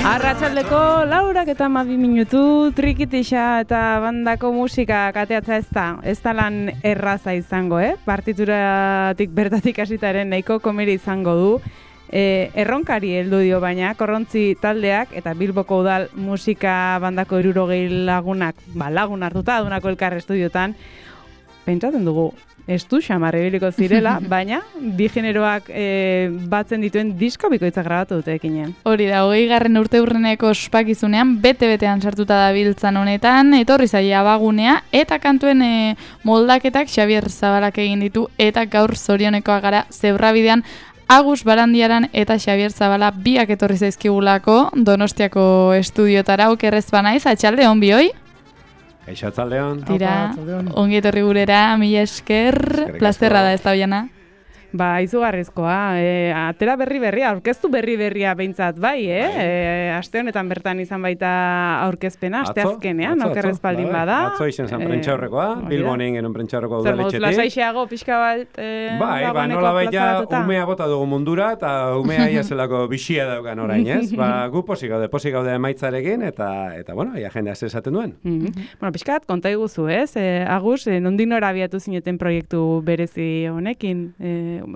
Arratsaldeko 4:12 Trikitixa eta bandako musika kateatza ez da lan erraza izango, partituratik bertatik hasitaren nahiko komeri izango du. Erronkari heldu dio baina Korrontzi taldeak eta Bilboko udal musika bandako 60 lagunak, lagun hartuta adunako elkar estudiotan pentsatzen dugu estu xamarre biliko zirela, baina bi generoak batzen dituen disko bikoitza grabatu dute ekinean. Hori da, 20. urteurreneko ospakizunean bete-betean sartuta da biltzan honetan, etorri zaila abagunea, eta kantuen moldaketak Xabier Zabalak egin ditu, eta gaur zorionekoa gara Zebrabidean Agus Barandiaran eta Xabier Zabala biak etorri zaizkigulako Donostiako estudiotara, okerrez banaiz, atxalde hon bioi? Kaixo atzaldeon. Tira, ongi etorri gurera, mila esker, plazterra da ez da biana. Izugarrizkoa, atera berria, aurkeztu berria behintzat bai, aste honetan bertan izan baita aurkezpena, aste azkenean, okerrez baldin bada. Atzo izen zan prentxaurrekoa, Bilbonen genuen prentxaurrekoa udaletxetik. Zer moduz, lasaixeago, pixka bat, nola baita umea bota dugu mundura, eta umea ia zelako bixia daukan orain, ez? Gu posik gaude emaitzarekin, eta bueno, ia jendea esaten duen. Bueno, pixka bat, konta iguzu, ez? Agus, nondik nora abiatu zineten proiektu berezi honekin,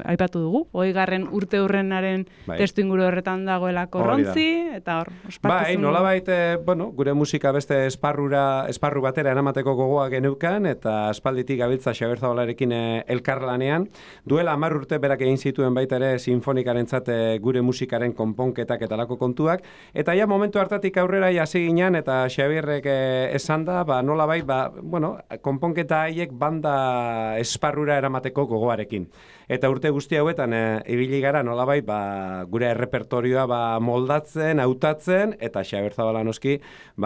aipatu dugu, 20. urteurrenaren testu inguru horretan dagoela Korrontzi, eta hor, ospakizun. Nolabait, gure musika beste esparru batera eramateko gogoa geneukan, eta aspalditik gabiltza Xabier Zabalarekin elkarlanean. Duela 10 urte berak egin zituen baita ere sinfonikarentzat gure musikaren konponketak eta lako kontuak, eta ja momentu hartatik aurrera hasi ginen, eta Xabierrek esan da, nolabait, konponketa haiek banda esparrura eramateko gogoarekin. Eta urte guzti hauetan ibili gara nolabait gure errepertorioa moldatzen, hautatzen, eta Xabier Zabala noski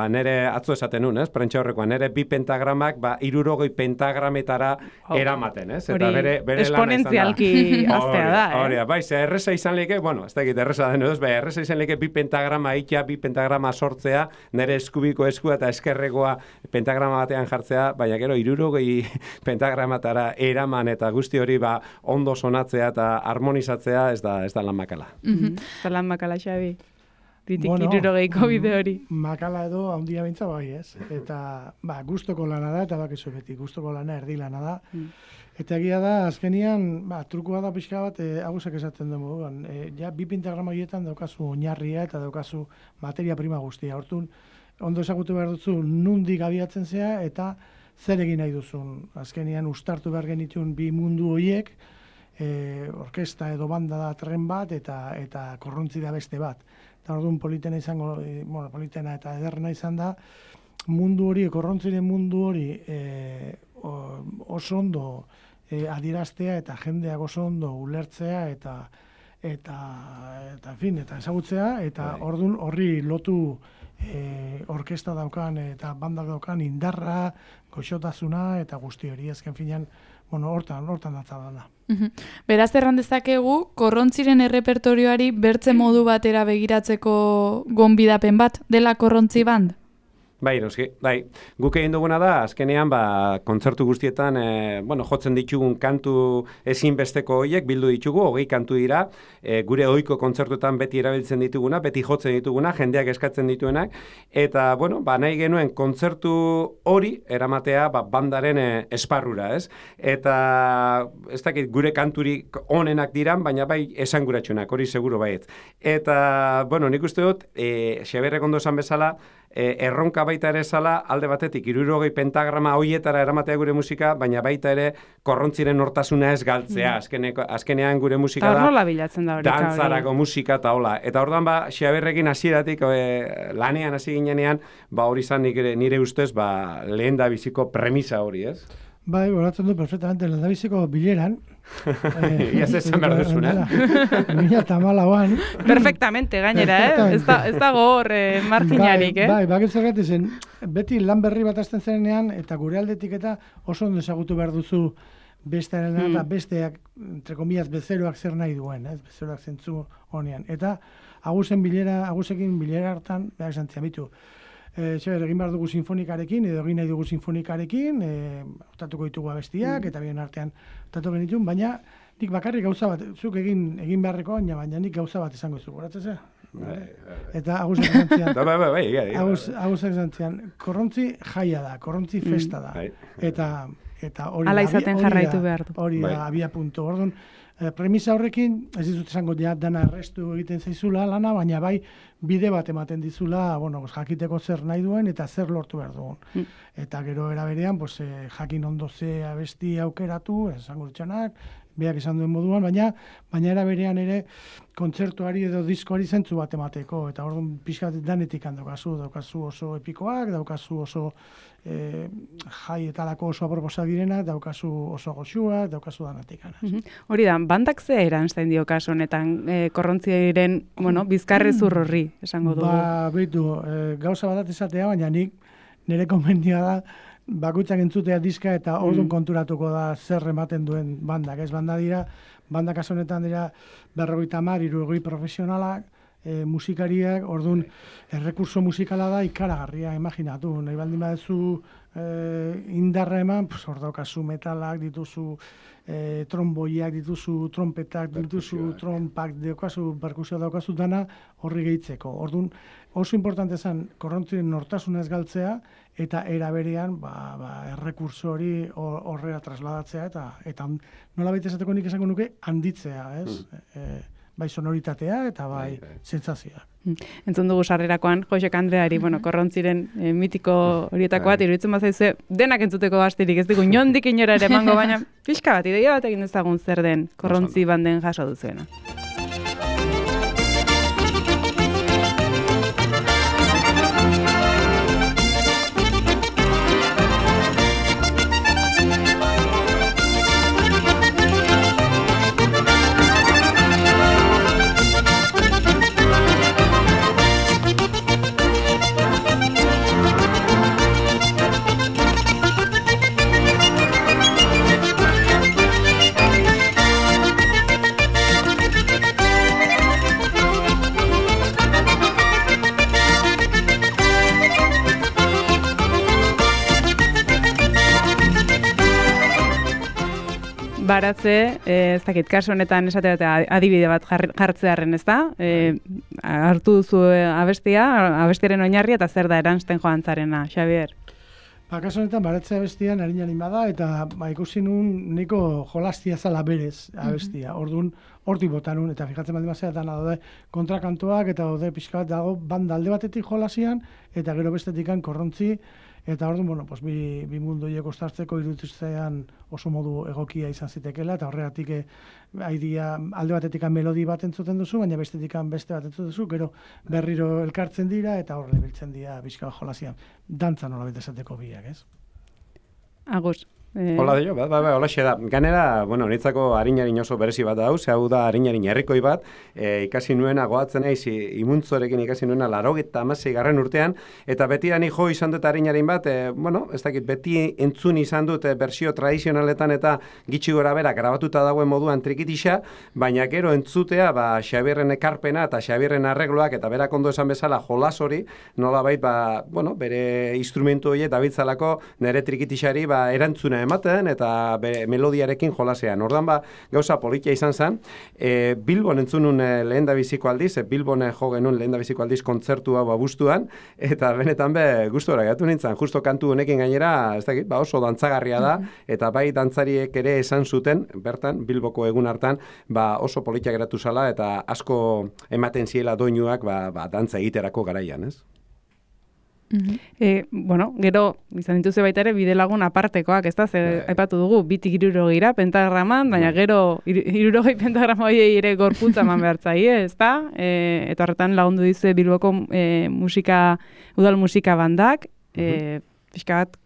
nere atzo esaten nun, prentxaurrekoan, nere 2 pentagramak 60 pentagrametara eramaten, ez? Eta bere esponentzialki aztea da, Hori da, erreza izan leke, ez dakit erreza den edo, erreza izan leke 2 pentagrama ikia, 2 pentagrama sortzea, nere eskubiko eskua eta eskerrekoa pentagrama batean jartzea, baina gero 60 pentagramatara eraman eta guzti hori ondo sonatzea eta harmonizatzea ez da lan makala. Eta lan makala, Xabi. Ditik 60ko bide hori. Makala edo handia bintza bai, ez? Eta gustoko lana da, eta bakizu beti, gustoko lana erdi lana da. Eta egia da, azkenian, trukoa da pixka bat, Agusak esaten dugu. Ja, 2 pentagrama horietan daukazu oinarria eta daukazu materia prima guztia. Hortun, ondo ezagutu behar duzu, nundik abiatzen zea, eta zer egin nahi duzun. Azkenian, ustartu behar genitun 2 mundu horiek, orkesta edo banda da tren bat eta Korrontzi da beste bat. Eta orduan politena izango, politena eta ederrena izan da, mundu hori, Korrontziren mundu hori oso ondo adieraztea eta jendeak oso ondo ulertzea eta ezagutzea, eta orduan horri lotu orkesta daukan eta bandak daukan indarra, goxotasuna eta guzti hori azken finean hortan datza dana. Beraz erran dezakegu, Korrontziren errepertorioari bertze modu batera begiratzeko gonbidapen bat dela Korrontzi band? Bai, noski, guk egin duguna da, azkenean, kontzertu guztietan, jotzen ditugun kantu ezinbesteko horiek, bildu ditugu, 20 kantu dira, gure ohiko kontzertuetan beti erabiltzen dituguna, beti jotzen dituguna, jendeak eskatzen dituenak, eta, nahi genuen kontzertu hori eramatea bandaren esparrura, ez? Eta, ez dakit, gure kanturik onenak diran, baina bai esanguratsunak, hori seguro baiet. Eta, nik uste dut, Xabierrek ondo esan bezala, erronka baita ere zala, alde batetik 60 pentagrama hoietara eramatea gure musika, baina baita ere Korrontziren hortasuna ez galtzea. Azkenean gure musika da dantzarako musika eta hola. Eta orduan Xabierrekin hasieratik lanean hasi ginenean, hori izan nire ustez lehen da biziko premisa hori, ez? Bai, goratzen du perfectamente lehen da biziko bileran. Ia zesan behar duzun, 2014an. Perfectamente, gainera, ez dago hor marginarik, Bai, bakitzegat izen, beti lan berri bat azten zenean, eta gure aldetik eta oso ondo ezagutu behar duzu bestearen eta besteak, entre comillas, bezeroak zer nahi duen, bezeroak zentzu honean. Eta Agusekin bilera hartan, behar esan ziamitu, egin behar dugu sinfonikarekin, edo egin nahi dugu sinfonikarekin, otatuko ditugu abestiak, eta bien artean otatu genitun, baina nik bakarrik gauza bat, zuk egin beharreko, baina nik gauza bat izango zu, goratzea? Eta aguzak zantzian. Aguzak zantzian. Korrontzi jaia da, korrontzi festa da. Eta hori ala izaten jarraitu behar du. Hori da, abia puntu. Orduan, premisa horrekin, ez dizut esango dana errestu egiten zaizula lana, baina bai bide bat ematen dizula, jakiteko zer nahi duen eta zer lortu behar duen. Eta gero eraberean, jakin ondo ze abesti aukeratu, esango ditzanak, beak esan duen moduan, baina eraberean ere kontzertuari edo diskoari zentzu bat emateko, eta orduan pixka danetik daukazu oso epikoak, daukazu oso jaietalako oso aproposak direnak, daukazu oso goxuak, daukazu danetik. Hori da, bandak ze erantzten dio kasu honetan korrontziaren, bizkarre zurrorri, esango dugu. Beitu, gauza bat izatea, baina nik nire konbendia da, bakoitzak entzutea diska eta orduan konturatuko da zer ematen duen bandak. Ez bandak kasu honetan dira 50, 60 profesionalak, musikariak, orduan errekurso musikala da ikaragarria, imaginatu. Nahi baldin badezu indarra eman, hor daukazu metalak, dituzu tromboiak, dituzu trompetak, dituzu trompak, daukazu perkusio daukazu dana horri gehitzeko. Orduan oso importante zen korrontzien nortasuna ez galtzea eta eraberean errekurso hori horrela trasladatzea eta nola baita esateko nik esango nuke handitzea, ez? Bai sonoritatea eta bai sentsazioa. Entzun dugu sarrerakoan Josek Andreari, korrontziren mitiko horietako bat iruditzen bazaizu denak entzuteko bastirik ez digu inondik inora ere emango, baina pixka bat ideia bat egin dezagun zer den korrontzi banden jaso duzuena. Baratze, ez dakit, kasu honetan esate bat adibide bat jartzearen, ez da? Hartu duzu abestiaren oinarria eta zer da eransten joan zarena, Xabier? Kasu honetan, baratze abestian harin bada, eta ikusi nun niko jolastia zala berez abestia. Orduan, hortik bota nun, eta fijatzen baldin bazea, dana daude kontrakantoak, eta daude pixka bat dago banda alde batetik jolasian, eta gero bestetikan korrontzi, eta orduan, bi mundu hiek ostartzeko iruditzean oso modu egokia izan zitekela, eta horregatik alde batetik melodi bat entzuten duzu, baina bestetik beste bat entzuten duzu, gero berriro elkartzen dira, eta horre biltzen dira bizka jolasian. Dantza nola bete esateko biak, ez? Agus. Hola dio, holaxe da. Ganera, niretzako harin oso berezi bat da, hau da harin herrikoi bat, ikasi nuena goatzen naiz, imuntzorekin ikasi nuena 96. urtean, eta beti da ni jo izan dut harin bat, ez dakit, beti entzun izan dut bersio tradizionaletan eta gitxi gora bera grabatuta dagoen moduan trikitisa, baina gero entzutea, Xabierren ekarpena eta Xabierren arregloak, eta berak ondo esan bezala jolas hori, nolabait, bere instrumentu horiek dabiltzalako nire trikitisari erantzuna ematen eta melodiarekin jolasean. Ordan gauza politia izan zen. Bilbon entzunun lehendabiziko aldiz, Bilbon jo genuen lehendabiziko aldiz kontzertu hau abuztuan, eta benetan gustora gatu nintzen, justo kantu honekin gainera, ez dakit, oso dantzagarria da, eta bai dantzariek ere esan zuten, bertan, Bilboko egun hartan, oso politia geratu zala, eta asko ematen ziela doinuak dantza egiterako garaian, ez? Gero, izan dituze baita ere, bide lagun apartekoak, ez da, aipatu dugu, 2 pentagraman, baina gero 60 pentagrama horiei ere gorputza eman behartzaie, ez da? Eta horretan lagundu dizu Bilboko udal musika bandak, pixka bat,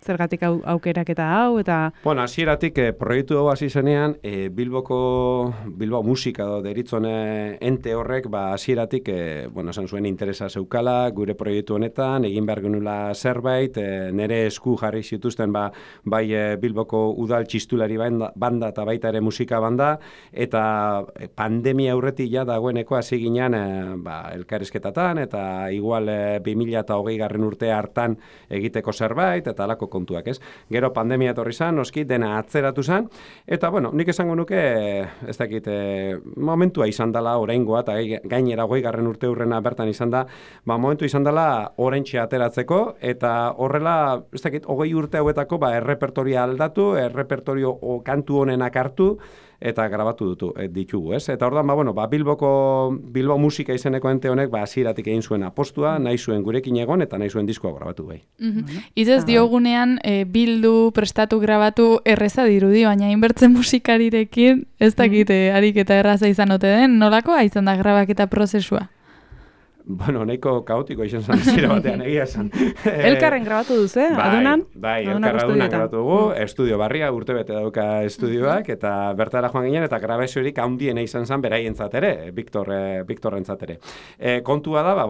zergatik aukerak eta hau, eta... Hasieratik proiektu hau hasi zenean, Bilbao musika deritzon ente horrek, hasieratik, esan zuen interesa zeukala, gure proiektu honetan, egin behar genula zerbait, nire esku jarri zituzten, bai Bilboko udal txistulari banda eta baita ere musika banda, eta pandemia aurretik dagoeneko hasi ginen elkarrizketatan, eta igual 2020 urte hartan egiteko zerbait, eta alako kontuak, ez? Gero pandemia etorri zan, noski, dena atzeratu zan, eta, bueno, nik esango nuke, ez dakit, momentua izan dela oraingoa, eta gainera 20. urte hurrena bertan izan da, momentu izan dela oraintxe ateratzeko, eta horrela, ez dakit, 20 urte hauetako, errepertoria aldatu, errepertorio kantu honenak hartu, eta grabatu ditugu, ez? Eta orduan, Bilbo musika izeneko ente honek, hasieratik egin zuen apostua, nahi zuen gurekin egon, eta nahi zuen diskoa grabatu bai. Izez diogunean, bildu, prestatu, grabatu, erreza dirudi, baina inbertzen musikarirekin, ez dakit ariketa erraza izan ote den, nolakoa izan da grabaketa prozesua? Bueno, nahiko kaotiko izan zen zira batean egia esan. Elkarren grabatu duzu, adunan? Bai, elkarra adunan grabatu dugu, estudio barria, urtebete dauka estudioak, eta bertara joan ginen, eta grabaziorik handiena izan zen beraientzat ere, Viktorrentzat ere. Kontua da,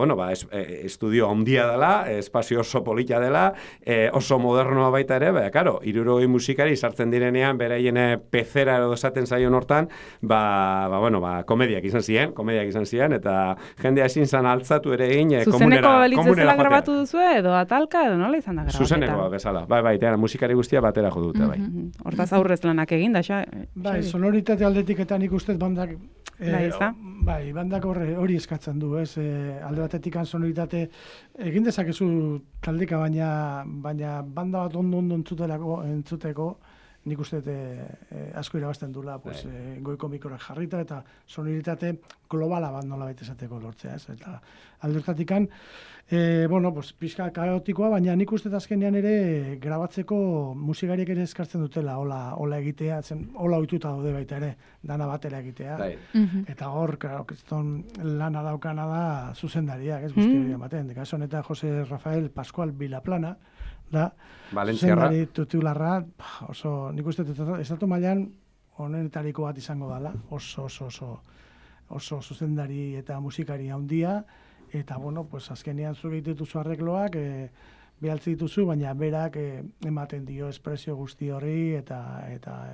estudio handia dela, espazio oso polita dela, oso modernoa baita ere, karo, 60 musikari sartzen direnean, beraien pezera edo esaten zaion hortan, komediak izan ziren, eta jendea ezin zan altzatu ere egin zuzeneko balitzezela grabatu duzu edo atalka edo nola izan da grabaketa? Zuzeneko bezala, bai, musikari guztia batera jo dute, bai. Hortaz aurrez lanak egin da, bai, sonoritate aldetik eta nik ustez bandak bandak hori eskatzen du, ez? Alde batetik sonoritate egin dezakezu taldeka, baina banda bat ondo entzuteko, nik uste asko irabazten dula, goiko mikroak jarrita eta sonoritate globala bat nola baita esateko lortzea, ez? Eta aldertatikan, pixka kaotikoa, baina nik uste azkenean ere grabatzeko musikariek ere eskartzen dutela, hola egitea, hola ohituta daude baita ere, dana batera egitea. Eta hor, kriston lana daukana da zuzendariak, ez guzti hori ematen. Kaso honetan Jose Rafael Pascual Vilaplana, da, zuzendari titularra, nik uste estatu mailan honetariko bat izango dela, oso zuzendari eta musikari handia, eta, azkenean zu dituzu arregloak, behaltzi dituzu, baina berak ematen dio espresio guzti horri, eta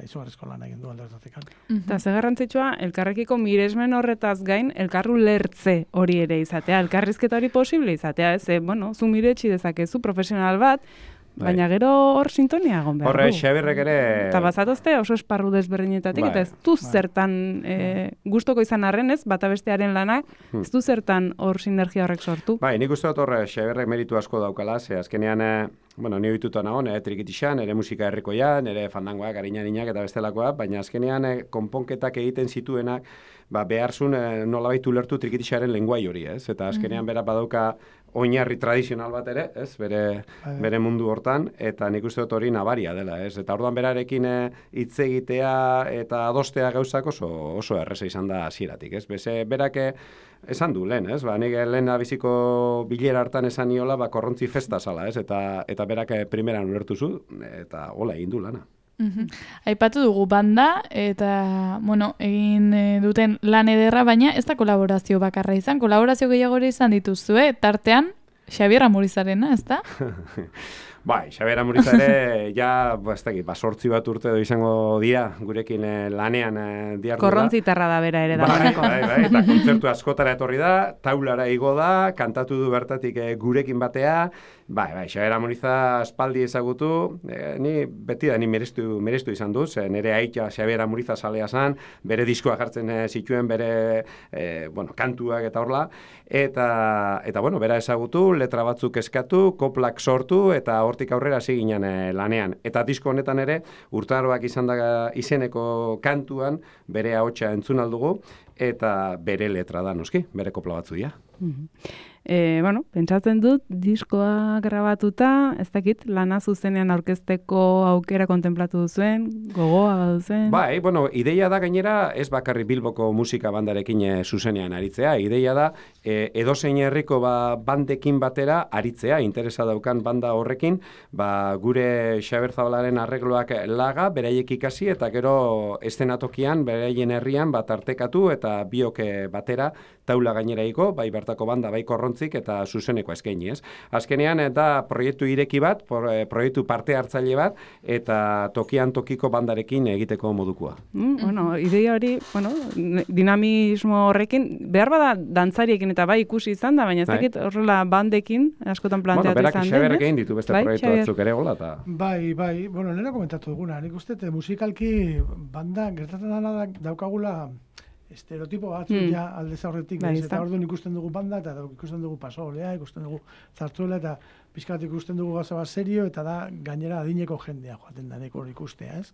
izugarrizko lan egin du aldertatik. Eta ze garrantzitsua, elkarrekiko miresmen horretaz gain, elkarru lertze hori ere izatea, elkarrizketa hori posible izatea, ez, zu miretsi dezakezu profesional bat, baina gero hor sintonia egon behar du. Horre, Xabirrek ere... Eta bazatozte oso esparru desberdinetatik, eta ez du zertan gustoko izan arren, ez, bata bestearen lanak, ez du zertan hor sinergia horrek sortu. Bai, nik uste dut horre, Xabirrek meritu asko daukala, ze azkenean, ni ohituta nago, trikitixan, nire musika herrikoia, nire fandangoak, ariñarinak eta bestelakoa, baina azkenean konponketak egiten zituenak, beharzun nolabait ulertu trikitixaren lenguai hori, ez? Eta azkenean bera badauka oinarri tradizional bat ere, ez? Bere mundu hortan, eta nik uste dut hori nabaria dela, ez? Eta orduan berarekin hitz egitea eta adostea gauzak oso erreza izan da hasieratik, ez? Berak esan du lehen, ez? Nik lehen biziko bilera hartan esan niola, korrontzi festa zala, ez? Eta berak primeran ulertu zu, eta hola egin du lana. Aipatu dugu banda, eta, egin duten lan ederra, baina ez da kolaborazio bakarra izan, kolaborazio gehiago izan dituzue, tartean Xabier Amurizarena, ez da? Bai, Xabier Amurizare, sortzi bat urte edo izango dira, gurekin lanean diardura. Korrontzitarra da bera ere dagoeneko. Bai, eta kontzertu askotara etorri da, taulara igo da, kantatu du bertatik gurekin batea, bai, Xabier Amuriza aspaldi ezagutu, ni merestu izan duz, nire aita Xabier Amuriza salea zan, bere diskoa jartzen zituen, bere kantuak eta horla, eta bera ezagutu, letra batzuk eskatu, koplak sortu, eta hortik aurrera hasi ginen lanean. Eta disko honetan ere, urtaroak izan da izeneko kantuan, bere ahotsa entzun aldugu, eta bere letra da, noski, bere kopla batzu dira. Pentsatzen dut, diskoa grabatuta, ez dakit, lana zuzenean aurkezteko aukera kontemplatu duzuen, gogoa baduzen. Bai, ideia da gainera, ez bakarri Bilboko musika bandarekin zuzenean aritzea, ideia da, edozein herriko bandekin batera aritzea, interesa daukan banda horrekin, gure Xabier Zabalaren arregloak laga, beraiek ikasi, eta gero estenatokian, beraien herrian, tartekatu, eta eta biok batera, taula gainerako, bai bertako banda, bai korrontzik eta zuzeneko eskaini, ez? Azkenean, da proiektu ireki bat, proiektu parte hartzaile bat, eta tokian tokiko bandarekin egiteko modukoa. Bueno, ideia hori, dinamismo horrekin, behar bada dantzariekin eta bai ikusi izan da, baina ez dakit horrela bandekin, askotan planteatu izan den, berak Xaberrek egin ditu beste proiektu batzuk ere gola, eta... Bai, nena komentatu duguna, nik uste, musikalki banda gertatzen dana daukagula estereotipo batzuk ja aldez aurretik, eta orduan ikusten dugu banda, eta ikusten dugu pasolea, ikusten dugu zartzuela, eta pixkat ikusten dugu gauza bat serio, eta da gainera adineko jendea joaten da hori ikustea, ez?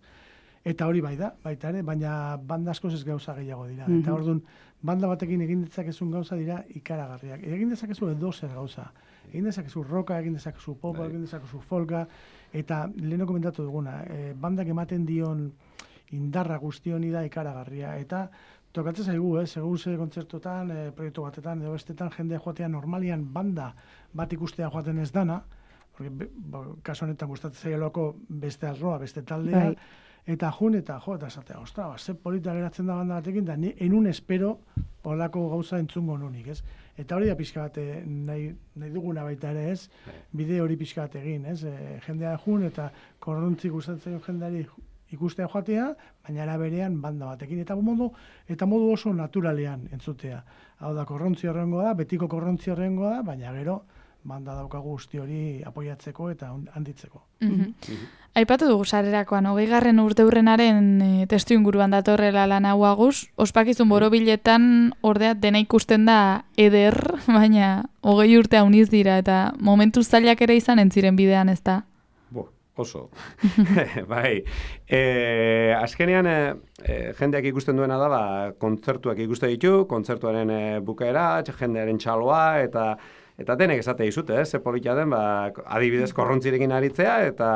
Eta hori bai da, baita ere, baina banda askoz ez gauza gehiago dira. Eta orduan, banda batekin egin dezakezun gauza dira ikaragarriak. Egin dezakezu edozer gauza. Egin dezakezu roka, egin dezakezu popa, egin dezakezu folka, eta leheno komentatu duguna, bandak ematen dion indarra guzti honi da ikaragarria. Eta tokatzen zaigu, segun ze kontzertuetan, proiektu batetan, edo bestetan, jendea joatea normalian banda bat ikustea joaten ez dana, kasu honetan gustatzen zaiolako beste arroa, beste taldea, eta esatea, ostra, ze polita geratzen da banda batekin, da enun espero holako gauza entzungo nunik, ez? Eta hori da pixka bat nahi duguna baita ere, ez? Bide hori pixka bat egin, ez? Jendea jun eta korrontzik gustatzen jendeari ikustea joatea, baina era berean banda batekin, eta modu oso naturalean entzutea. Hau da, korrontzi horrengoa da, betiko korrontzi horrengoa da, baina gero banda daukagu guzti hori apoiatzeko eta handitzeko. Aipatu dugu sarrerakoan, 20. urteurrenaren testu inguruan datorrela lan hau aguz, ospakizun borobiletan ordea dena ikusten da eder, baina 20 urte hauniz dira, eta momentu zailak ere izan entziren bidean, ez da? Oso. Bai. Azkenean, jendeak ikusten duena da, kontzertuak ikuste ditu, kontzertuaren bukaera, jendearen txaloa, eta denek esate dizute, ze polita den, adibidez korrontzirekin aritzea, eta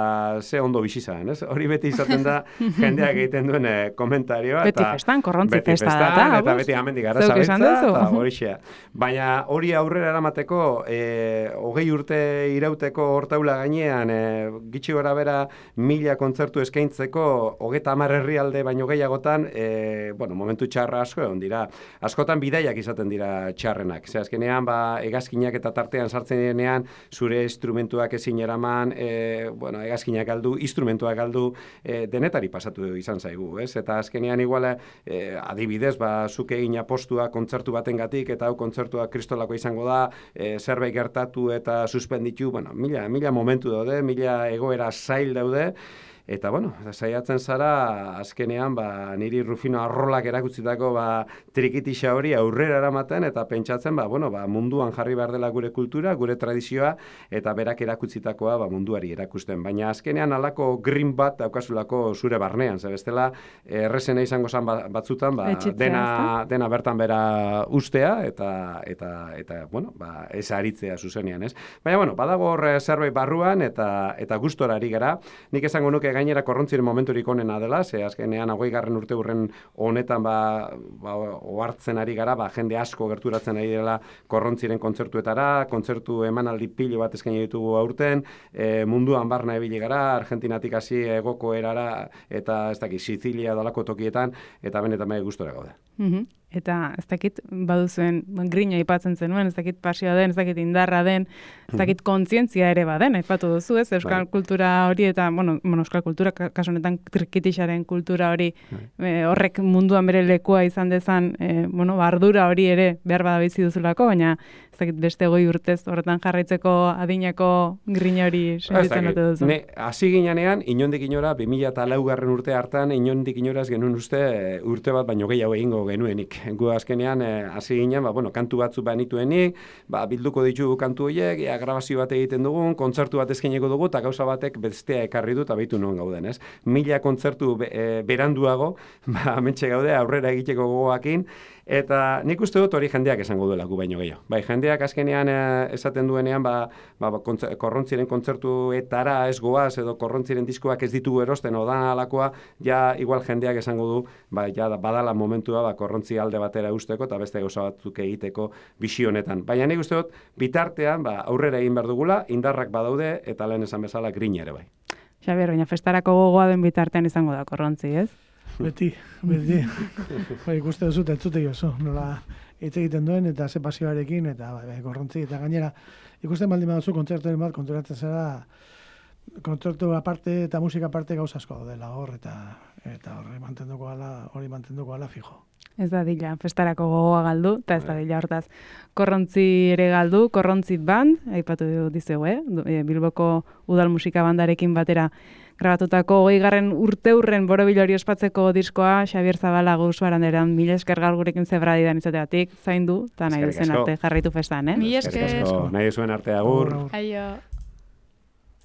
ze ondo bizizan, ez? Hori beti izaten da jendeak egiten duen komentarioa. Beti festan, korrontzi festa da. Eta beti amendik gara zabetza, eta hori xea. Baina hori aurrera eramateko, 20 urte irauteko hortaula gainean, gitxi gora bera 1000 kontzertu eskaintzeko, 30 herrialde baino gehiagotan, momentu txarra asko egon dira. Askotan bidaiak izaten dira txarrenak. Ze azkenean, hegazkinak eta tartean sartzen direnean, zure instrumentuak ezin eraman, hegazkinak galdu, instrumentuak galdu, denetari pasatu izan zaigu, ez? Eta azkenean igual, adibidez, zuk egin apostua kontzertu batengatik, eta hau kontzertua kristolako izango da, zerbait gertatu eta suspenditu, mila momentu daude, mila egoera zail daude, eta, saiatzen zara, azkenean, niri Rufino Arrolak erakutzitako trikitixa hori aurrera eramaten, eta pentsatzen, munduan jarri behar dela gure kultura, gure tradizioa, eta berak erakutzitakoa munduari erakusten. Baina azkenean alako green bat daukazulako zure barnean, ze bestela, errezena izango zan batzutan, dena bertan bera ustea, eta ez aritzea zuzenean, ez? Baina, badago hor zerbait barruan, eta gustora ari gara. Nik esango nuke gainera korrontziren momenturik onena dela, ze azkenean 20. urteurren honetan ohartzen ari gara, jende asko gerturatzen ari dela korrontziren kontzertuetara, kontzertu emanaldi pilo bat eskaini ditugu aurten, munduan barna ibili gara, Argentinatik hasi hegoko erara, eta ez dakit, Sizilia dalako tokietan, eta benetan gustora gaude. Eta ez dakit baduzuen grina aipatzen zenuen, ez dakit pasioa den, ez dakit indarra den, ez dakit kontzientzia ere baden, aipatu duzu, ez? Euskal kultura hori eta, euskal kultura, kasu honetan trikitixaren kultura hori, horrek munduan bere lekua izan dezan, ardura hori ere behar bada bizi duzulako, baina ez dakit beste 20 urtez horretan jarraitzeko adinako grina hori sentitzen dute duzu. Hasi ginean, inondik inora, 2004 urte hartan, inondik inoraz genuen uste urte bat baino gehiago egingo genuenik. Gu azkenean, hasi ginen, kantu batzu banituenik, bilduko ditugu kantu horiek, grabazio bat egiten dugun, kontzertu bat eskaineko dugu, eta gauza batek bestea ekarri du, eta behitu non gauden, ez? 1000 kontzertu beranduago, mentxe gaude, aurrera egiteko gogoakin, eta nik uste dut hori jendeak esango duela gu baino gehiago. Bai, jendeak azkenean esaten duenean, korrontziren kontzertuetara ez goaz, edo korrontziren diskoak ez ditugu erosten, odan alakoa, ja igual jendeak esango du, badala momentua korrontzi alde batera usteko, eta beste gauza batzuk egiteko bisi honetan. Baina nik uste dut, bitartean, aurrera egin behar dugula, indarrak badaude, eta lehen esan bezala grina ere bai. Xabier, baina festarako gogoa den bitartean izango da korrontzi, ez? Beti. Ikuste duzut, entzute oso, nola hitz egiten duen, eta ze pasioarekin, eta gorrontzi, eta gainera, ikusten baldin baduzu kontzerturen bat, konturatzen zara, kontzertu aparte eta musika aparte gauza asko dela hor, eta hori mantenduko ala fijo. Ez da dila, festarako gogoa galdu, eta ez da dila hortaz. Korrontzi ere galdu, Korrontzi band, aipatu dizegu, Bilboko udal musika bandarekin batera grabatutako 20. urteurren borobilori ospatzeko diskoa Xabier Zabala Gusu Aranderan, mila esker gaur gurekin zebradidan izateatik, zaindu, eta nahi duzen arte jarraitu festan, Mila esker. Nahi zuen arte agur. Aio.